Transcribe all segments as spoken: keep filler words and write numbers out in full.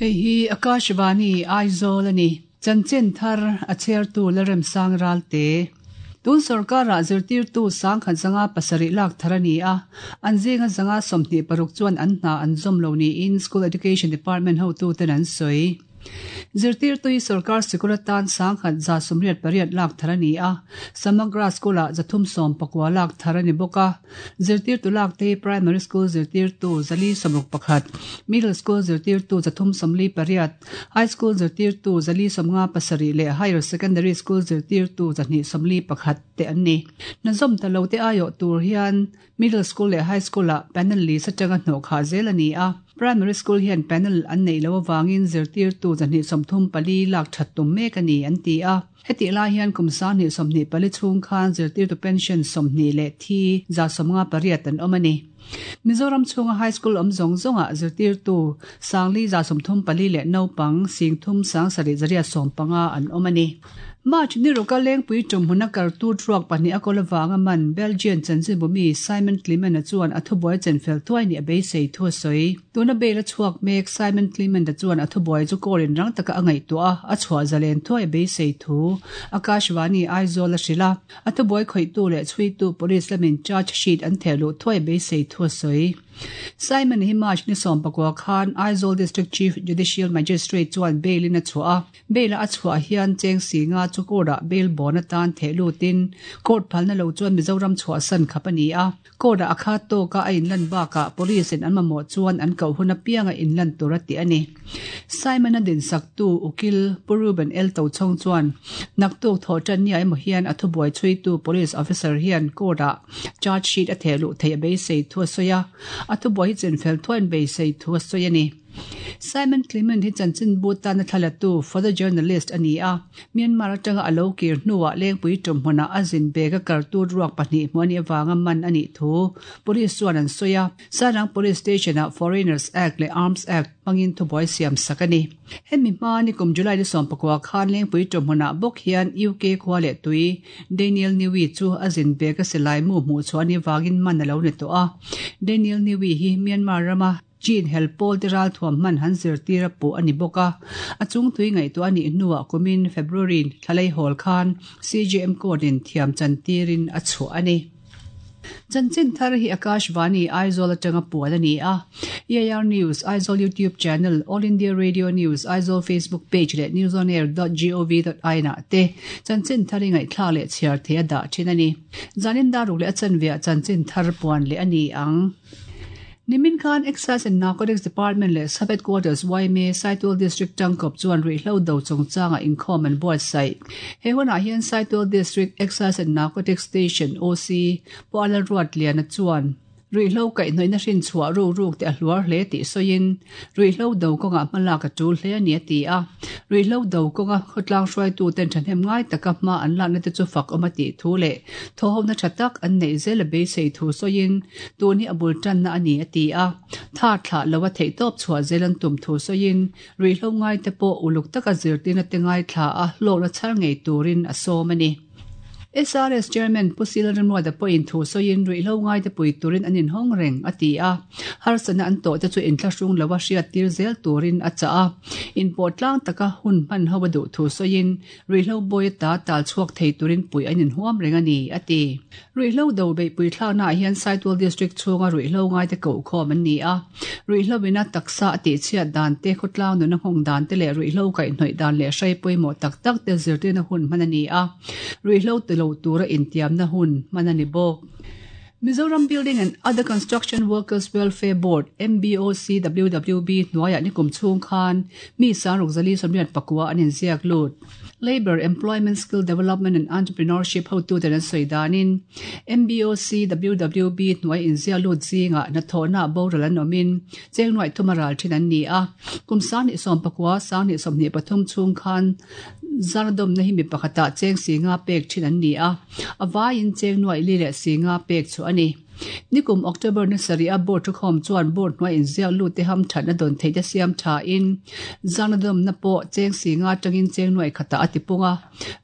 Hei hi Akashvani Aizawl ani chanchin thar a chair tu lerem sang ralte tun sarkara zirtir tu sang khan zanga pasari lak tharani a anzinga zanga somni paruk chuan an hna an zom lo ni in school education department ho tu ten an soi zirtir tui sarkar sikuratan sang khat za sumriat pariat lak tharani a samagra school a zathum som pakwa lak tharani boka zirtir tu lak te primary school zirtir tu zali somruk pakhat middle school zirtir tu zathum somli pariat high school zirtir tu zali somnga pasari le higher secondary school zirtir tu zani somli pakhat te anni nazom talo te ayo tur hian middle school le high school a panel li satanga hno kha zel ani a primary school hian panel an nei lo wangin zirtir tu zani somthum pali lak thattum mek ani an ti a heti la hian kumsa ni somni pali chung khan zirtir tu pension somni le thi za somnga pariat an omani Mizoram chunga high school om zong zonga zirtir tu sangli za somthum pali le no pang singthum sang sari zaria som panga an omani March ni roka leng pui tum huna kar tu truak pahnih a kolawanga man Belgian chanchin bumi Simon Clement a chuan a thubuai chenfel thuai ni a beisei thu a sawi tuna bel a chhuak mek Simon Clement a chuan a thubuai chu korin rang taka a ngaihtuah a chhuah zalen thuai beisei thu Akashvani Aizawl a hrila a thubuai khawih tu leh chhui tu police lamin charge sheet an thehluh thuai beisei thu a sawi Simon hi March ni som pakwa khan Aizawl District Chief Judicial Magistrate chuan bail in a chhuah a bail a chhuah hian cheng singa chu court a bail bon atan thehlutin court phalna lo chuan Mizoram chhuah san khap ani a court a akha to ka a inlan baka police in an mamawh chuan an koh hun apianga inlan tur a ti ani Simon a din sak tu ukil Puruben El to chong chuan naktuk tho tan ni ai mo hian a thubuai chui tu police officer hian court a charge sheet a thehluh thei a beisei thu a sawi a a thubuai hi chenfel thuan beisei thu a sawi ani Simon Clement hi chanchin butan a thlalatu for the journalist ani a Myanmar atanga alo kir hnuah lengpui tum hmuna a zin bega kartu ruak pahnih hmuani awanga man ani thu police chuan an sawi a Sarang police station a Foreigners Act le Arms Act pangin thubuai siam sak ani hemi hma ni kum July ni sawm pakua khan lengpui tum hmuna bawk hian U K khua leh tui Daniel Niwi chu a zin bega silai mu hmuh chuan awangin man alo ni tawh a Daniel Niwi hi Myanmar rama Chin helpol te ral thuam man han zir tira pu ani boka a chung tui ngai tu ani hnuah kumin February thalai hol khan C J M code in thiam chan tirin a chu ani chanchin thar hi Akashvani Aizawl atanga puan ani a E A R News Aizawl YouTube channel All India Radio News Aizawl Facebook page le newsonair dot gov dot in ah te chanchin thar ngai thla le chhiar the a dah thin ani zanin daruk le a chanvia chanchin thar puan le ani ang Nimin Khan Excise and Narcotics Department le Sub Headquarters Y M A Saitual District Tangkop chuan ruihhlo do chungchanga inkhawm an buatsaih he hunah hian Saitual District Excise and Narcotics Station O C Puala Ruat Lian a chuan ruihhlo kaihhnawihna hrin chhuah ru ruk te a hluar hle tih sawiin ruihhlo do kawngah hmalak a tul hle ani a ti a ruihhlo do kawnga khawtlang hruaitu ten thahnem ngai taka hma an lakna te chu fak awm a tih thu leh thawhawmna tha tak an neih zel a beisei thu sawiin tun hi a bul tanna ani a ti a tha thlah lo a theih tawp chhuah zel an tum thu sawiin ruihhlo ngai te pawh uluk taka zirtirna te ngai thla a hlawkna chhar ngei turin a sawm ani S R S Chairman Pusila Ramruada pawhin thu sawiin ruihhlo ngai te pui turin an inhawng reng a ti a harsana an tawh te chu inthlahrung lo a hriat tir zel turin a chah a inpawh tlang taka hun hman ho a duh thu sawiin ruihhlo bawi ta tal chhuak thei turin pui an inhuam reng ani a ti ruihhlo do beih pui thlakna ah hian Saitual District chhunga ruihhlo ngai te koh khawm an ni a ruihhlo ina taksa a tih chhiat dan te khawtlang nuna nghawng dan te leh ruihhlo kaihhnawih dan leh hrai pawimawh tak tak te zirtirna hun hman ani a ruihhlo ti lo tura intiamna hun hman ani bawk Mizoram Building and Other Construction Workers Welfare Board M B O C W W B hnuaiah ni kum chhung khan mi sangruk zali sawmriat pakua an inziak lut Labor Employment Skill Development and Entrepreneurship hotu ten an sawi danin M B O C W W B hnuai inziak lut zinga hnathawhna boral an awmin cheng nuaih thuma ral thin an ni a kum sang ni sawm pakua sang ni sawmhnih pathum chhung khan zardawm na hi mi pakhatah cheng singa pek thin an ni a a vaiin cheng nuaih li leh singa pek chu ani Nikum October ni sarih a board thukhawm chuan board hnuai inziak lut te hamthatna dawn theih te siam tha in zangnadawmna pawh cheng singa atangin cheng nuai khatah a ti pung a.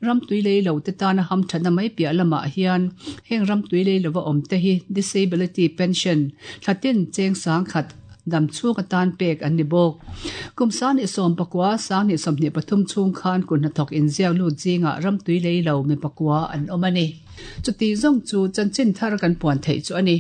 Ram tui lei lo te tana hamthatna mai piah lamah hian heng ram tui lei lova awm te hi disability pension thlatin cheng sang khat dam chhung atan pek an ni bawk. Kum sanghnih sawm pakua sanghnih sawmhnih pathum chhung khan kut hnathawk inziak lut zingah ram tui lei lo mi pakua an awm a ni. Chuti zawng chu chanchin thar kan puan theih chu a ni.